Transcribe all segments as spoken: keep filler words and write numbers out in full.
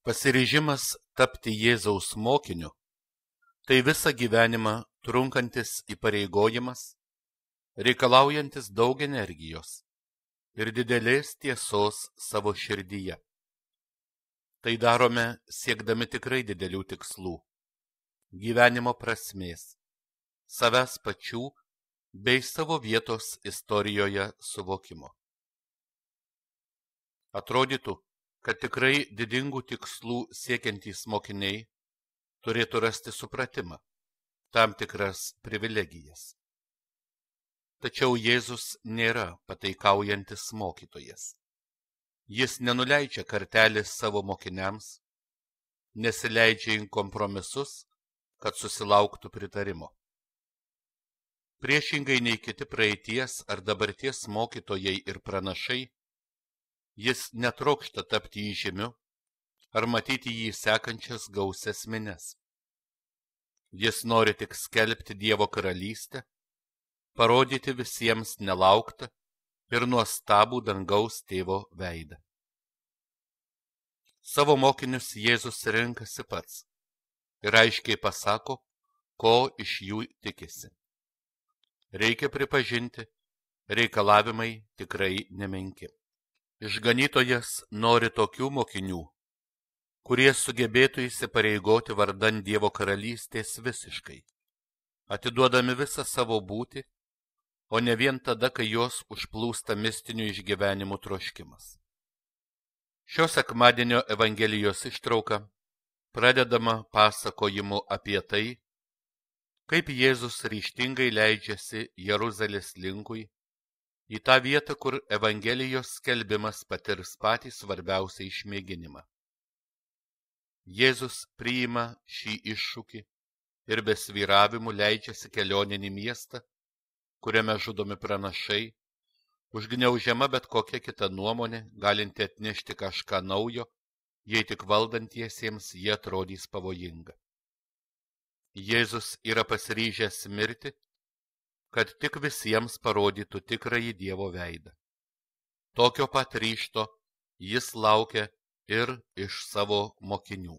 Pasiryžimas tapti Jėzaus mokiniu – tai visą gyvenimą trunkantis įpareigojimas, reikalaujantis daug energijos ir didelės tiesos savo širdyje. Tai darome siekdami tikrai didelių tikslų, gyvenimo prasmės, savęs pačių bei savo vietos istorijoje suvokimo. Atrodytų, kad tikrai didingų tikslų siekiantys mokiniai turėtų rasti supratimą, tam tikras privilegijas. Tačiau Jėzus nėra pataikaujantis mokytojas. Jis nenuleidžia kartelės savo mokiniams, nesileidžia į kompromisus, kad susilauktų pritarimo. Priešingai nei kiti praeities ar dabarties mokytojai ir pranašai, jis netrokšta tapti įžymiu ar matyti jį sekančias gausias mines. Jis nori tik skelbti Dievo karalystę, parodyti visiems nelauktą ir nuostabų dangaus tėvo veidą. Savo mokinius Jėzus renkasi pats ir aiškiai pasako, ko iš jų tikisi. Reikia pripažinti, reikalavimai tikrai nemenki. Išganytojas nori tokių mokinių, kurie sugebėtų įsipareigoti vardan Dievo karalystės visiškai, atiduodami visą savo būtį, o ne vien tada, kai jos užplūsta mistinių išgyvenimų troškimas. Šio sekmadienio Evangelijos ištrauka pradedama pasakojimu apie tai, kaip Jėzus ryžtingai leidžiasi Jeruzalės linkui, į tą vietą, kur Evangelijos skelbimas patirs patį svarbiausią išmėginimą. Jėzus priima šį iššūkį ir be svyravimų leidžiasi kelioninį miestą, kuriame žudomi pranašai, užgniaužiama bet kokia kita nuomonė, galinti atnešti kažką naujo, jei tik valdantiesiems jie atrodys pavojinga. Jėzus yra pasiryžęs mirti, kad tik visiems parodytų tikrąjį Dievo veidą. Tokio pat ryžto jis laukia ir iš savo mokinių.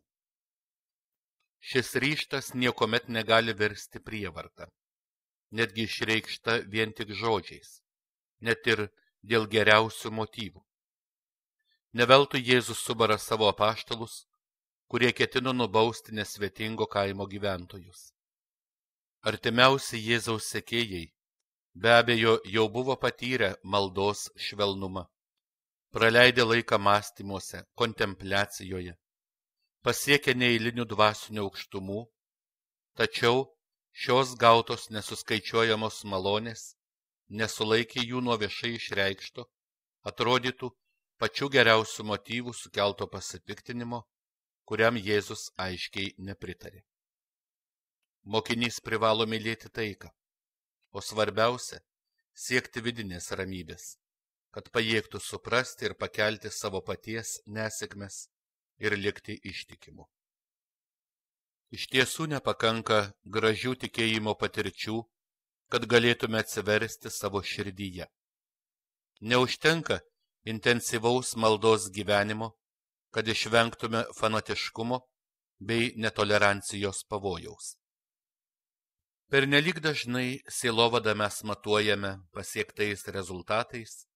Šis ryžtas niekuomet negali virsti prievarta, netgi išreikšta vien tik žodžiais, net ir dėl geriausių motyvų. Ne veltui Jėzus subara savo apaštalus, kurie ketino nubausti nesvetingo kaimo gyventojus. Artimiausi Jėzaus sekėjai be abejo jau buvo patyrę maldos švelnumą, praleidę laiką mąstymuose, kontempliacijoje, pasiekę neeilinių dvasinių aukštumų, tačiau šios gautos nesuskaičiuojamos malonės nesulaikė jų nuo viešai išreikšto, atrodytų pačių geriausių motyvų sukelto pasipiktinimo, kuriam Jėzus aiškiai nepritarė. Mokinys privalo mylėti taiką, o svarbiausia – siekti vidinės ramybės, kad pajėgtų suprasti ir pakelti savo paties nesėkmes ir likti ištikimu. Iš tiesų nepakanka gražių tikėjimo patirčių, kad galėtume atsiversti savo širdyje. Neužtenka intensyvaus maldos gyvenimo, kad išvengtume fanatiškumo bei netolerancijos pavojaus. Pernelyg dažnai sielovadą mes matuojame pasiektais rezultatais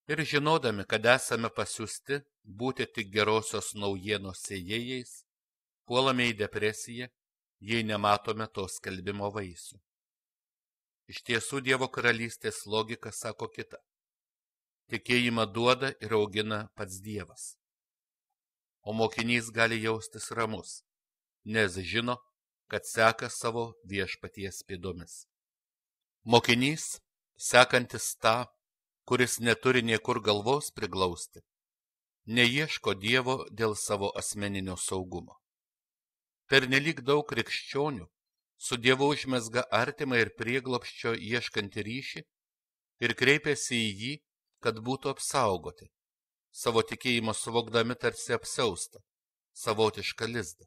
ir žinodami, kad esame pasiųsti būti tik gerosios naujienos sėjėjais, puolame į depresiją, jei nematome to skelbimo vaisių. Iš tiesų Dievo karalystės logika sako kita. Tikėjimą duoda ir augina pats Dievas. O mokinys gali jaustis ramus, nes žino, kad seka savo viešpaties pėdomis. Mokinys, sekantis tą, kuris neturi niekur galvos priglausti, neieško Dievo dėl savo asmeninio saugumo. Pernelyg daug krikščionių su Dievu užmezga artimą ir prieglobsčio ieškantį ryšį ir kreipiasi į jį, kad būtų apsaugoti, savo tikėjimo suvokdami tarsi apsiaustą, savotišką lizdą.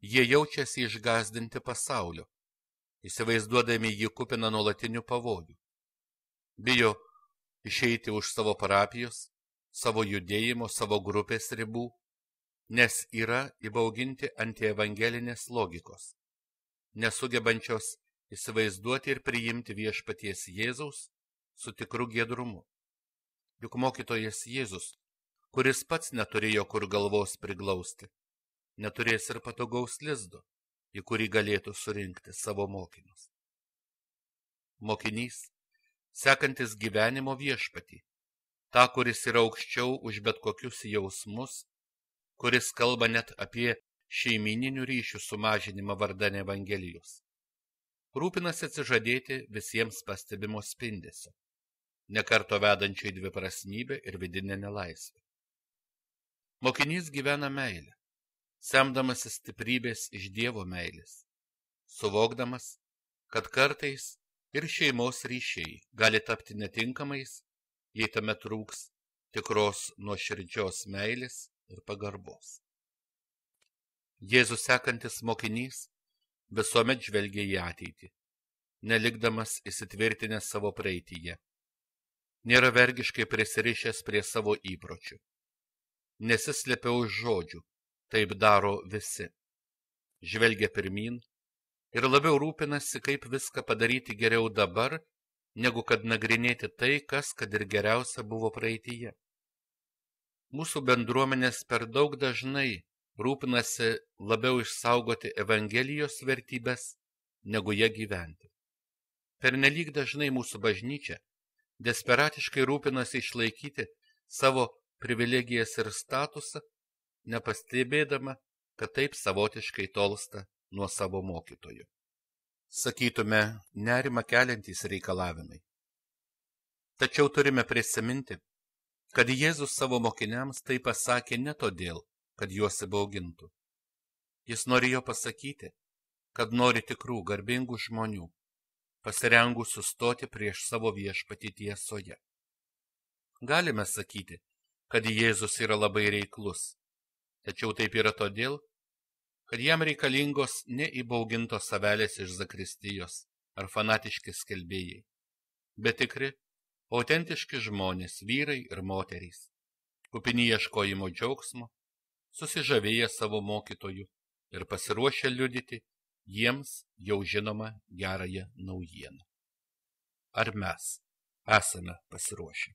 Jie jaučiasi išgąsdinti pasaulio, įsivaizduodami jį kupiną nuolatinių pavojų. Bijo išeiti už savo parapijos, savo judėjimo, savo grupės ribų, nes yra įbauginti antievangelinės logikos, nesugebančios įsivaizduoti ir priimti viešpaties Jėzaus su tikru giedrumu. Juk mokytojas Jėzus, kuris pats neturėjo kur galvos priglausti, neturės ir patogaus lizdo, į kurį galėtų surinkti savo mokinius. Mokinys, sekantis gyvenimo viešpatį, tą, kuris yra aukščiau už bet kokius jausmus, kuris kalba net apie šeimyninių ryšių sumažinimą vardan Evangelijos. Rūpinasi atsižadėti visiems pastebimo spindesio, nekarto vedančio į dviprasmybę ir vidinę nelaisvę. Mokinys gyvena meilę, semdamasis stiprybės iš Dievo meilės, suvokdamas, kad kartais ir šeimos ryšiai gali tapti netinkamais, jei tame trūks tikros nuoširdžios meilės ir pagarbos. Jėzus sekantis mokinys visuomet žvelgia į ateitį, nelikdamas įsitvirtinęs savo praeityje. Nėra vergiškai prisirišęs prie savo įpročių. Nesislepia už žodžių, taip daro visi. Žvelgia pirmyn ir labiau rūpinasi, kaip viską padaryti geriau dabar, negu kad nagrinėti tai, kas kad ir geriausia buvo praeityje. Mūsų bendruomenės per daug dažnai rūpinasi labiau išsaugoti Evangelijos vertybės, negu ją gyventi. Pernelyg dažnai mūsų bažnyčia desperatiškai rūpinasi išlaikyti savo privilegijas ir statusą, nepastebėdama, kad taip savotiškai tolsta nuo savo mokytojų. Sakytume, nerimą keliantys reikalavimai. Tačiau turime prisiminti, kad Jėzus savo mokiniams tai pasakė ne todėl, kad juos įbaugintų. Jis norėjo pasakyti, kad nori tikrų, garbingų žmonių, pasirengusių stoti prieš savo viešpatį tiesoje. Galime sakyti, kad Jėzus yra labai reiklus, tačiau taip yra todėl, kad jam reikalingos ne įbaugintos avelės iš zakristijos ar fanatiški skelbėjai, bet tikri, autentiški žmonės, vyrai ir moterys, kupini ieškojimo džiaugsmo, susižavėję savo mokytojų ir pasiruošę liudyti jiems jau žinomą gerąją naujieną. Ar mes esame pasiruošę?